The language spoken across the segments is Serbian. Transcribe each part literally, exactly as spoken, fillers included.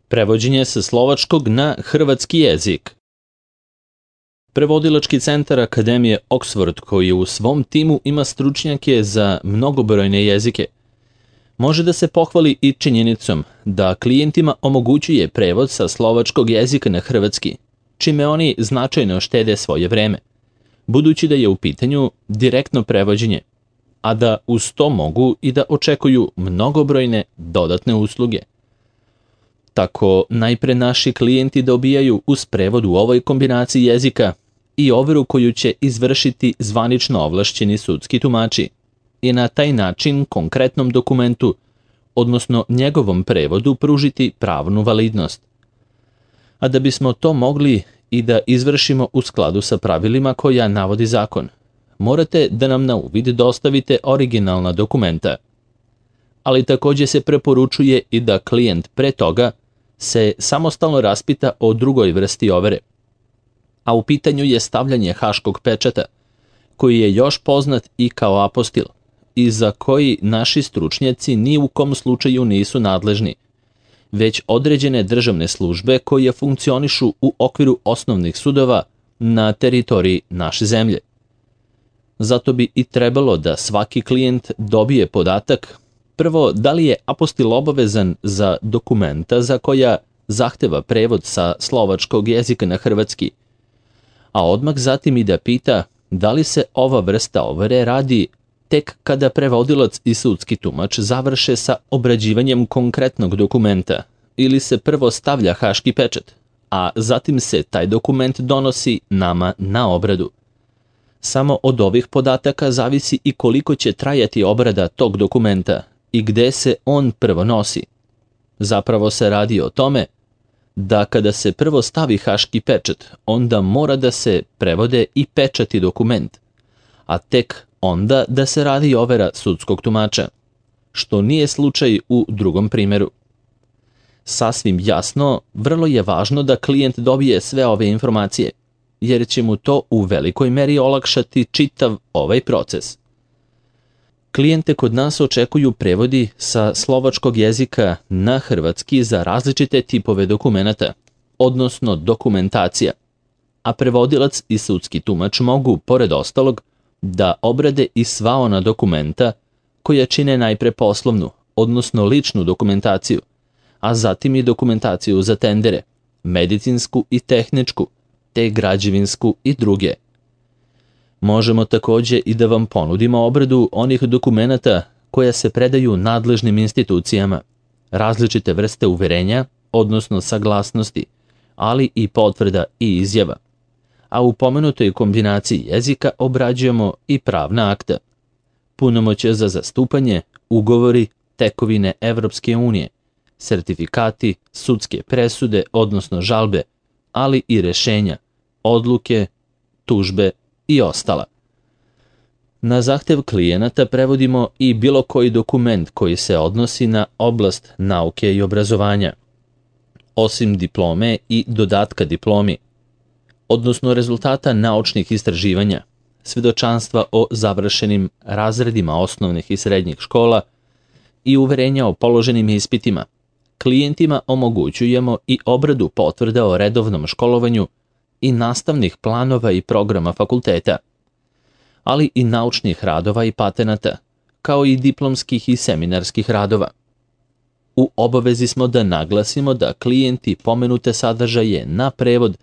Prevođenje sa slovačkog na hrvatski jezik. Prevodilački centar Akademije Oxford, koji u svom timu ima stručnjake za mnogobrojne jezike, može da se pohvali i činjenicom da klijentima omogućuje prevod sa slovačkog jezika na hrvatski, čime oni značajno štede svoje vreme, budući da je u pitanju direktno prevođenje, a da uz to mogu i da očekuju mnogobrojne dodatne usluge. Tako najpre naši klijenti dobijaju uz prevod u ovoj kombinaciji jezika i overu koju će izvršiti zvanično ovlašćeni sudski tumači i na taj način konkretnom dokumentu, odnosno njegovom prevodu, pružiti pravnu validnost. A da bismo to mogli i da izvršimo u skladu sa pravilima koja navodi zakon, morate da nam na uvid dostavite originalna dokumenta. Ali takođe se preporučuje i da klijent pre toga se samostalno raspita o drugoj vrsti overe, a u pitanju je stavljanje haškog pečata, koji je još poznat i kao apostil i za koji naši stručnjaci ni u kom slučaju nisu nadležni, već određene državne službe koje funkcionišu u okviru osnovnih sudova na teritoriji naše zemlje. Zato bi i trebalo da svaki klijent dobije podatak prvo, da li je apostil obavezan za dokumenta za koja zahteva prevod sa slovačkog jezika na hrvatski, a odmah zatim i da pita da li se ova vrsta overe radi tek kada prevodilac i sudski tumač završe sa obrađivanjem konkretnog dokumenta ili se prvo stavlja haški pečat, a zatim se taj dokument donosi nama na obradu. Samo od ovih podataka zavisi i koliko će trajati obrada tog dokumenta i gde se on prvo nosi. Zapravo se radi o tome da kada se prvo stavi haški pečat, onda mora da se prevode i pečati dokument, a tek onda da se radi overa sudskog tumača, što nije slučaj u drugom primeru. Sasvim jasno, vrlo je važno da klijent dobije sve ove informacije, jer će mu to u velikoj meri olakšati čitav ovaj proces. Klijente kod nas očekuju prevodi sa slovačkog jezika na hrvatski za različite tipove dokumenata, odnosno dokumentacija, a prevodilac i sudski tumač mogu, pored ostalog, da obrade i sva ona dokumenta koja čine najpre poslovnu, odnosno ličnu dokumentaciju, a zatim i dokumentaciju za tendere, medicinsku i tehničku, te građevinsku i druge. Možemo takođe i da vam ponudimo obradu onih dokumenata koja se predaju nadležnim institucijama, različite vrste uverenja, odnosno saglasnosti, ali i potvrda i izjava. A u pomenutoj kombinaciji jezika obrađujemo i pravna akta, punomoćje za zastupanje, ugovori, tekovine Evropske unije, sertifikati, sudske presude, odnosno žalbe, ali i rešenja, odluke, tužbe i ostala. Na zahtev klijenata prevodimo i bilo koji dokument koji se odnosi na oblast nauke i obrazovanja, osim diplome i dodatka diplomi, odnosno rezultata naučnih istraživanja, svedočanstva o završenim razredima osnovnih i srednjih škola i uverenja o položenim ispitima. Klijentima omogućujemo i obradu potvrda o redovnom školovanju i nastavnih planova i programa fakulteta, ali i naučnih radova i patenata, kao i diplomskih i seminarskih radova. U obavezi smo da naglasimo da klijenti pomenute sadržaje na prevod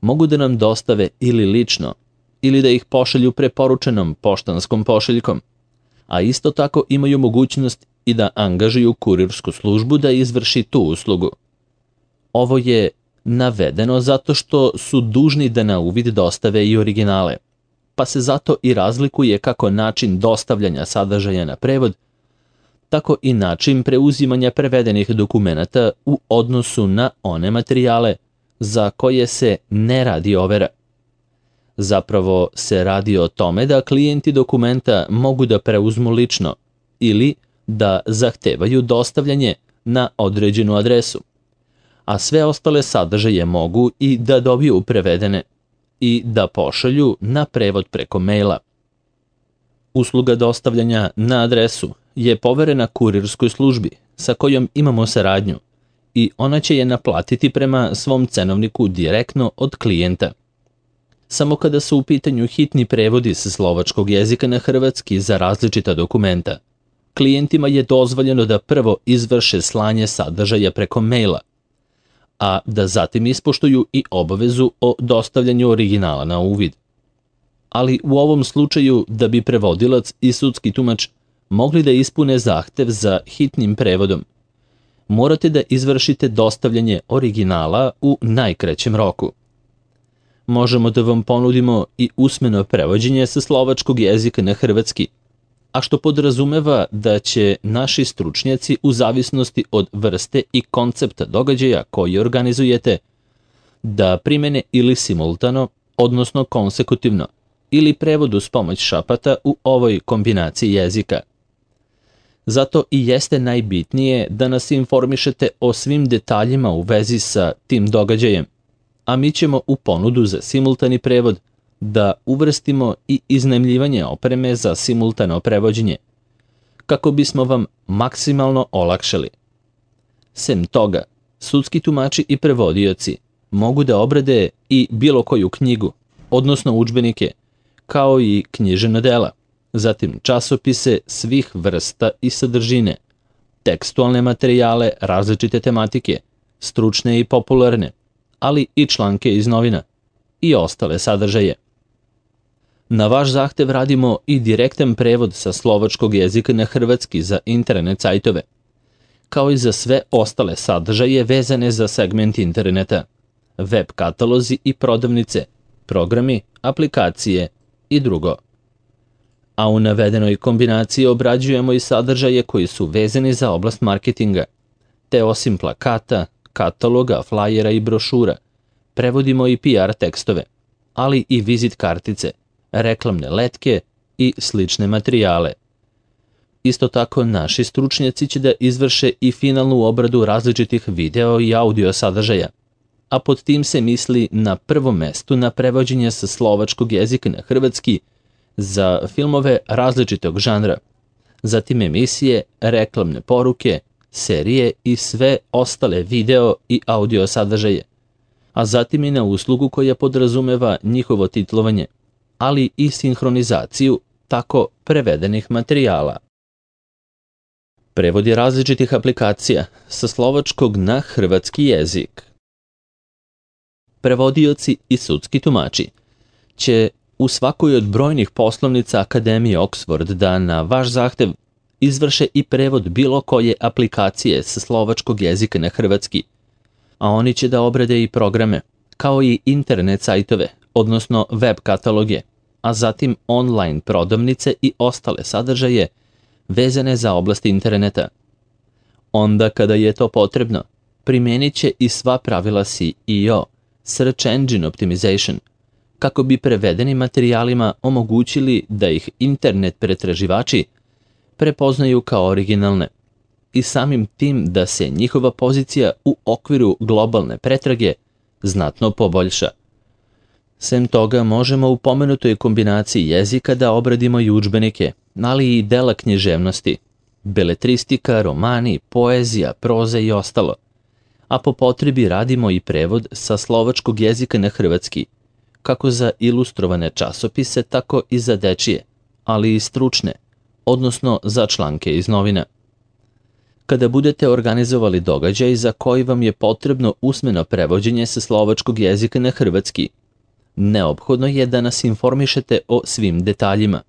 mogu da nam dostave ili lično, ili da ih pošalju preporučenom poštanskom pošiljkom, a isto tako imaju mogućnost i da angažuju kurirsku službu da izvrši tu uslugu. Ovo je navedeno zato što su dužni da na uvid dostave i originale, pa se zato i razlikuje kako način dostavljanja sadržaja na prevod, tako i način preuzimanja prevedenih dokumenata u odnosu na one materijale za koje se ne radi overa. Zapravo se radi o tome da klijenti dokumenta mogu da preuzmu lično ili da zahtevaju dostavljanje na određenu adresu, a sve ostale sadržaje mogu i da dobiju prevedene i da pošalju na prevod preko maila. Usluga dostavljanja na adresu je poverena kurirskoj službi sa kojom imamo saradnju i ona će je naplatiti prema svom cenovniku direktno od klijenta. Samo kada su u pitanju hitni prevodi sa slovačkog jezika na hrvatski za različita dokumenta, klijentima je dozvoljeno da prvo izvrše slanje sadržaja preko maila, a da zatim ispoštuju i obavezu o dostavljanju originala na uvid. Ali u ovom slučaju, da bi prevodilac i sudski tumač mogli da ispune zahtev za hitnim prevodom, morate da izvršite dostavljanje originala u najkraćem roku. Možemo da vam ponudimo i usmeno prevođenje sa slovačkog jezika na hrvatski, a što podrazumeva da će naši stručnjaci u zavisnosti od vrste i koncepta događaja koji organizujete da primene ili simultano, odnosno konsekutivno, ili prevod uz pomoć šapata u ovoj kombinaciji jezika. Zato i jeste najbitnije da nas informišete o svim detaljima u vezi sa tim događajem, a mi ćemo u ponudu za simultani prevod da uvrstimo i iznajmljivanje opreme za simultano prevođenje, kako bismo vam maksimalno olakšali. Sem toga, sudski tumači i prevodioci mogu da obrade i bilo koju knjigu, odnosno udžbenike, kao i književna dela, zatim časopise svih vrsta i sadržine, tekstualne materijale različite tematike, stručne i popularne, ali i članke iz novina i ostale sadržaje. Na vaš zahtev radimo i direktan prevod sa slovačkog jezika na hrvatski za internet sajtove, kao i za sve ostale sadržaje vezane za segment interneta, web katalozi i prodavnice, programi, aplikacije i drugo. A u navedenoj kombinaciji obrađujemo i sadržaje koji su vezani za oblast marketinga, te osim plakata, kataloga, flajera i brošura, prevodimo i P R tekstove, ali i vizit kartice, reklamne letke i slične materijale. Isto tako, naši stručnjaci će da izvrše i finalnu obradu različitih video i audio sadržaja, a pod tim se misli na prvom mestu na prevođenje sa slovačkog jezika na hrvatski za filmove različitog žanra, zatim emisije, reklamne poruke, serije i sve ostale video i audio sadržaje, a zatim i na uslugu koja podrazumeva njihovo titlovanje, ali i sinhronizaciju tako prevedenih materijala. Prevodi različitih aplikacija sa slovačkog na hrvatski jezik. Prevodioci i sudski tumači će u svakoj od brojnih poslovnica Akademije Oxford da na vaš zahtev izvrše i prevod bilo koje aplikacije sa slovačkog jezika na hrvatski, a oni će da obrade i programe, kao i internet sajtove, odnosno web kataloge, a zatim online prodavnice i ostale sadržaje vezane za oblast interneta. Onda kada je to potrebno, primenit će i sva pravila S E O, Search Engine Optimization, kako bi prevedenim materijalima omogućili da ih internet pretraživači prepoznaju kao originalne i samim tim da se njihova pozicija u okviru globalne pretrage znatno poboljša. Sem toga, možemo u pomenutoj kombinaciji jezika da obradimo i udžbenike, ali i dela književnosti, beletristika, romani, poezija, proza i ostalo, a po potrebi radimo i prevod sa slovačkog jezika na hrvatski, kako za ilustrovane časopise, tako i za dečije, ali i stručne, odnosno za članke iz novina. Kada budete organizovali događaj za koji vam je potrebno usmeno prevođenje sa slovačkog jezika na hrvatski, neophodno je da nas informišete o svim detaljima.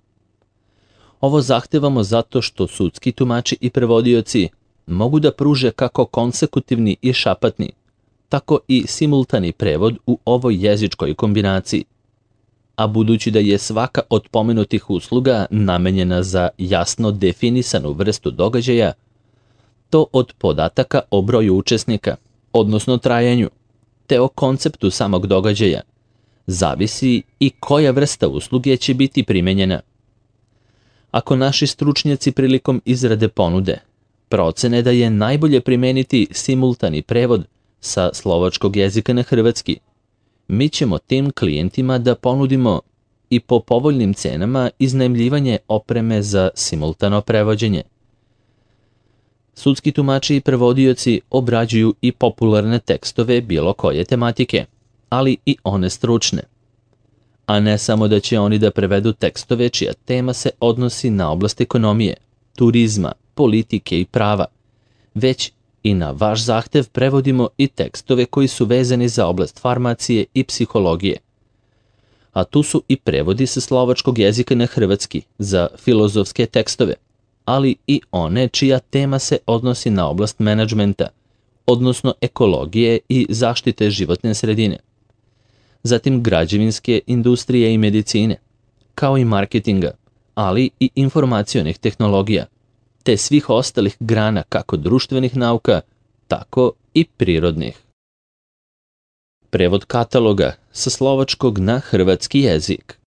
Ovo zahtevamo zato što sudski tumači i prevodioci mogu da pruže kako konsekutivni i šapatni, tako i simultani prevod u ovoj jezičkoj kombinaciji. A budući da je svaka od pomenutih usluga namenjena za jasno definisanu vrstu događaja, to od podataka o broju učesnika, odnosno trajanju, te o konceptu samog događaja, zavisi i koja vrsta usluge će biti primenjena. Ako naši stručnjaci prilikom izrade ponude procene da je najbolje primeniti simultani prevod sa slovačkog jezika na hrvatski, mi ćemo tim klijentima da ponudimo i po povoljnim cenama iznajmljivanje opreme za simultano prevođenje. Sudski tumači i prevodioci obrađuju i popularne tekstove bilo koje tematike, ali i one stručne. A ne samo da će oni da prevedu tekstove čija tema se odnosi na oblast ekonomije, turizma, politike i prava, već i na vaš zahtev prevodimo i tekstove koji su vezani za oblast farmacije i psihologije. A tu su i prevodi sa slovačkog jezika na hrvatski za filozofske tekstove, ali i one čija tema se odnosi na oblast menadžmenta, odnosno ekologije i zaštite životne sredine. Zatim građevinske industrije i medicine, kao i marketinga, ali i informacionih tehnologija, te svih ostalih grana kako društvenih nauka, tako i prirodnih. Prevod kataloga sa slovačkog na hrvatski jezik.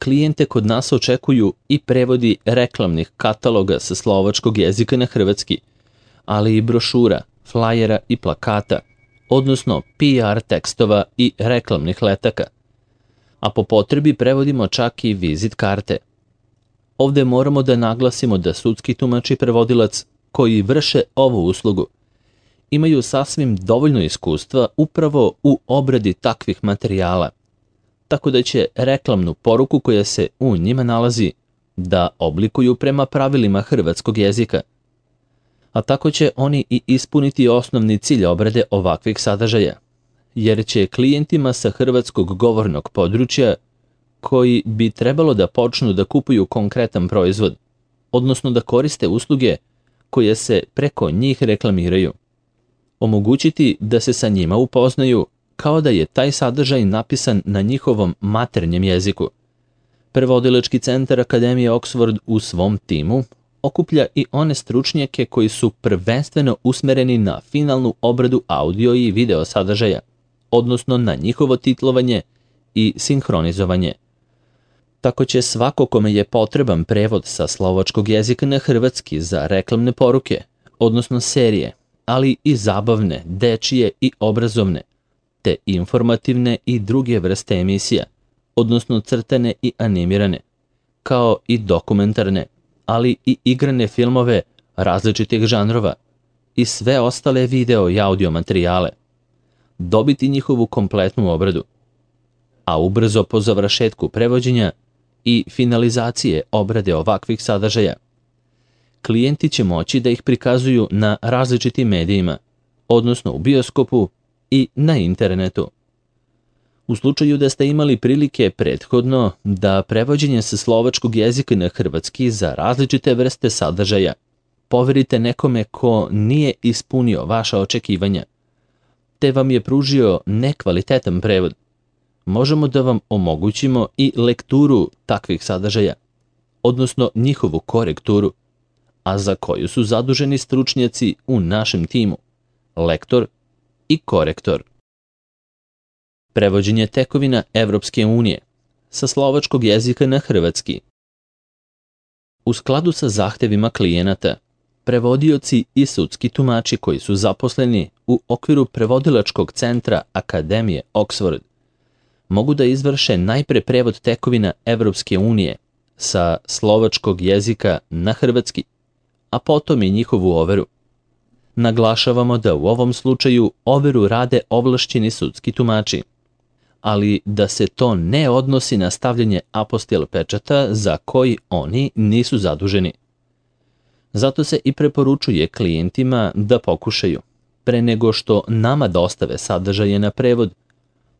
Klijente kod nas očekuju i prevodi reklamnih kataloga sa slovačkog jezika na hrvatski, ali i brošura, flajera i plakata, odnosno P R tekstova i reklamnih letaka. A po potrebi prevodimo čak i vizit karte. Ovde moramo da naglasimo da sudski tumač i prevodilac koji vrše ovu uslugu imaju sasvim dovoljno iskustva upravo u obradi takvih materijala, tako da će reklamnu poruku koja se u njima nalazi da oblikuju prema pravilima hrvatskog jezika. A tako će oni i ispuniti osnovni cilj obrade ovakvih sadržaja, jer će klijentima sa hrvatskog govornog područja koji bi trebalo da počnu da kupuju konkretan proizvod, odnosno da koriste usluge koje se preko njih reklamiraju, omogućiti da se sa njima upoznaju kao da je taj sadržaj napisan na njihovom maternjem jeziku. Prevodilački centar Akademije Oxford u svom timu okuplja i one stručnjake koji su prvenstveno usmereni na finalnu obradu audio i video sadržaja, odnosno na njihovo titlovanje i sinhronizovanje. Tako će svako kome je potreban prevod sa slovačkog jezika na hrvatski za reklamne poruke, odnosno serije, ali i zabavne, dečije i obrazovne, te informativne i druge vrste emisija, odnosno crtane i animirane, kao i dokumentarne, ali i igrane filmove različitih žanrova i sve ostale video i audio materijale, dobiti njihovu kompletnu obradu. A ubrzo po završetku prevođenja i finalizacije obrade ovakvih sadržaja, klijenti će moći da ih prikazuju na različitim medijima, odnosno u bioskopu i na internetu. U slučaju da ste imali prilike prethodno da prevođenje sa slovačkog jezika na hrvatski za različite vrste sadržaja poverite nekome ko nije ispunio vaša očekivanja, te vam je pružio nekvalitetan prevod, možemo da vam omogućimo i lekturu takvih sadržaja, odnosno njihovu korekturu, a za koju su zaduženi stručnjaci u našem timu, lektor i korektor. Prevođenje tekovina Evropske unije sa slovačkog jezika na hrvatski. U skladu sa zahtevima klijenata, prevodioci i sudski tumači koji su zaposleni u okviru prevodilačkog centra Akademije Oxford mogu da izvrše najpre prevod tekovina Evropske unije sa slovačkog jezika na hrvatski, a potom i njihovu overu. Naglašavamo da u ovom slučaju overu rade ovlašćeni sudski tumači, ali da se to ne odnosi na stavljanje apostil pečata za koji oni nisu zaduženi. Zato se i preporučuje klijentima da pokušaju, pre nego što nama dostave sadržaje na prevod,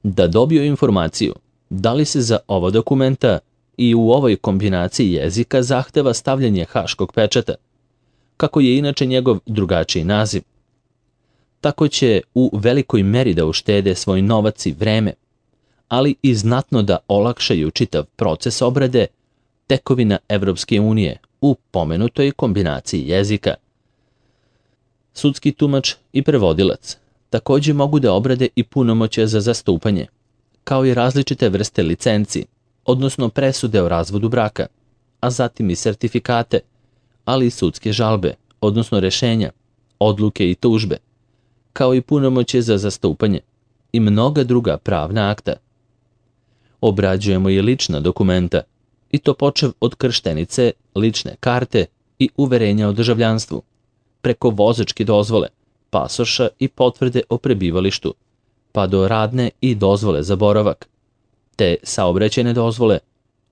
da dobiju informaciju da li se za ova dokumenta i u ovoj kombinaciji jezika zahteva stavljanje haškog pečata, kako je inače njegov drugačiji naziv. Tako će u velikoj meri da uštede svoj novac i vreme, ali i znatno da olakšaju čitav proces obrade tekovina Evropske unije u pomenutoj kombinaciji jezika. Sudski tumač i prevodilac takođe mogu da obrade i punomoćje za zastupanje, kao i različite vrste licenci, odnosno presude o razvodu braka, a zatim i sertifikate, ali i sudske žalbe, odnosno rešenja, odluke i tužbe, kao i punomoćje za zastupanje i mnoga druga pravna akta. Obrađujemo i lična dokumenta, i to počev od krštenice, lične karte, i uverenja o državljanstvu, preko vozačke dozvole, pasoša i potvrde o prebivalištu, pa do radne i dozvole za boravak, te saobraćajne dozvole,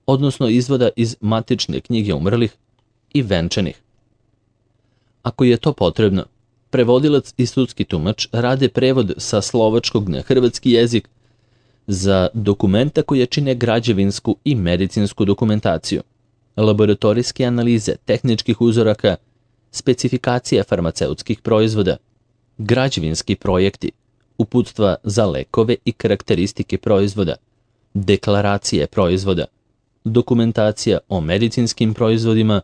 odnosno izvoda iz matične knjige umrlih i venčanih. Ako je to potrebno, prevodilac i sudski tumač rade prevod sa slovačkog na hrvatski jezik za dokumenta koje čine građevinsku i medicinsku dokumentaciju, laboratorijske analize tehničkih uzoraka, specifikacije farmaceutskih proizvoda, građevinski projekti, uputstva za lekove i karakteristike proizvoda, deklaracije proizvoda, dokumentacija o medicinskim proizvodima,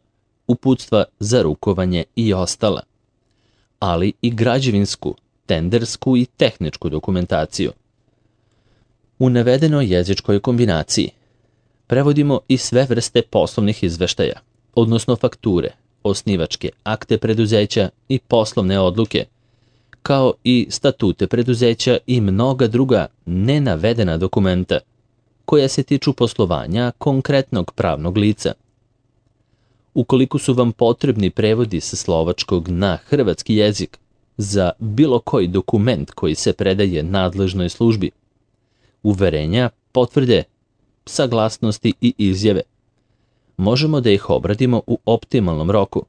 uputstva za rukovanje i ostala, ali i građevinsku, tendersku i tehničku dokumentaciju. U navedenoj jezičkoj kombinaciji prevodimo i sve vrste poslovnih izveštaja, odnosno fakture, osnivačke akte preduzeća i poslovne odluke, kao i statute preduzeća i mnoga druga nenavedena dokumenta koja se tiču poslovanja konkretnog pravnog lica. Ukoliko su vam potrebni prevodi sa slovačkog na hrvatski jezik za bilo koji dokument koji se predaje nadležnoj službi, uverenja, potvrde, saglasnosti i izjave, možemo da ih obradimo u optimalnom roku,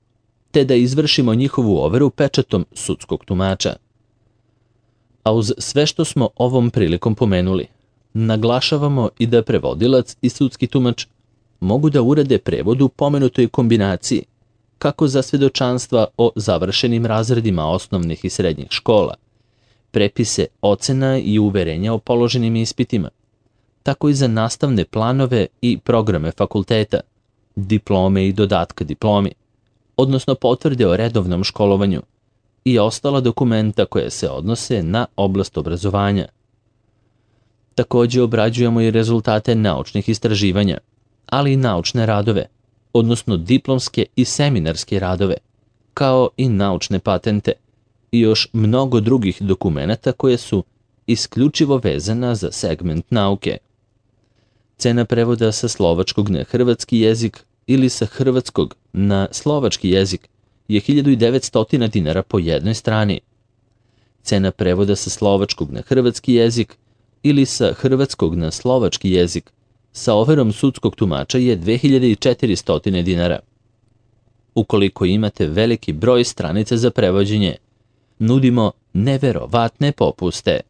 te da izvršimo njihovu overu pečatom sudskog tumača. A uz sve što smo ovom prilikom pomenuli, naglašavamo i da prevodilac i sudski tumač mogu da urade prevod u pomenutoj kombinaciji, kako za svedočanstva o završenim razredima osnovnih i srednjih škola, prepise ocena i uverenja o položenim ispitima, tako i za nastavne planove i programe fakulteta, diplome i dodatka diplomi, odnosno potvrde o redovnom školovanju i ostala dokumenta koje se odnose na oblast obrazovanja. Takođe obrađujemo i rezultate naučnih istraživanja, ali i naučne radove, odnosno diplomske i seminarske radove, kao i naučne patente i još mnogo drugih dokumenata koje su isključivo vezana za segment nauke. Cena prevoda sa slovačkog na hrvatski jezik ili sa hrvatskog na slovački jezik je hiljadu devetsto dinara po jednoj strani. Cena prevoda sa slovačkog na hrvatski jezik ili sa hrvatskog na slovački jezik sa overom sudskog tumača je dve hiljade četiristo dinara. Ukoliko imate veliki broj stranica za prevođenje, nudimo neverovatne popuste.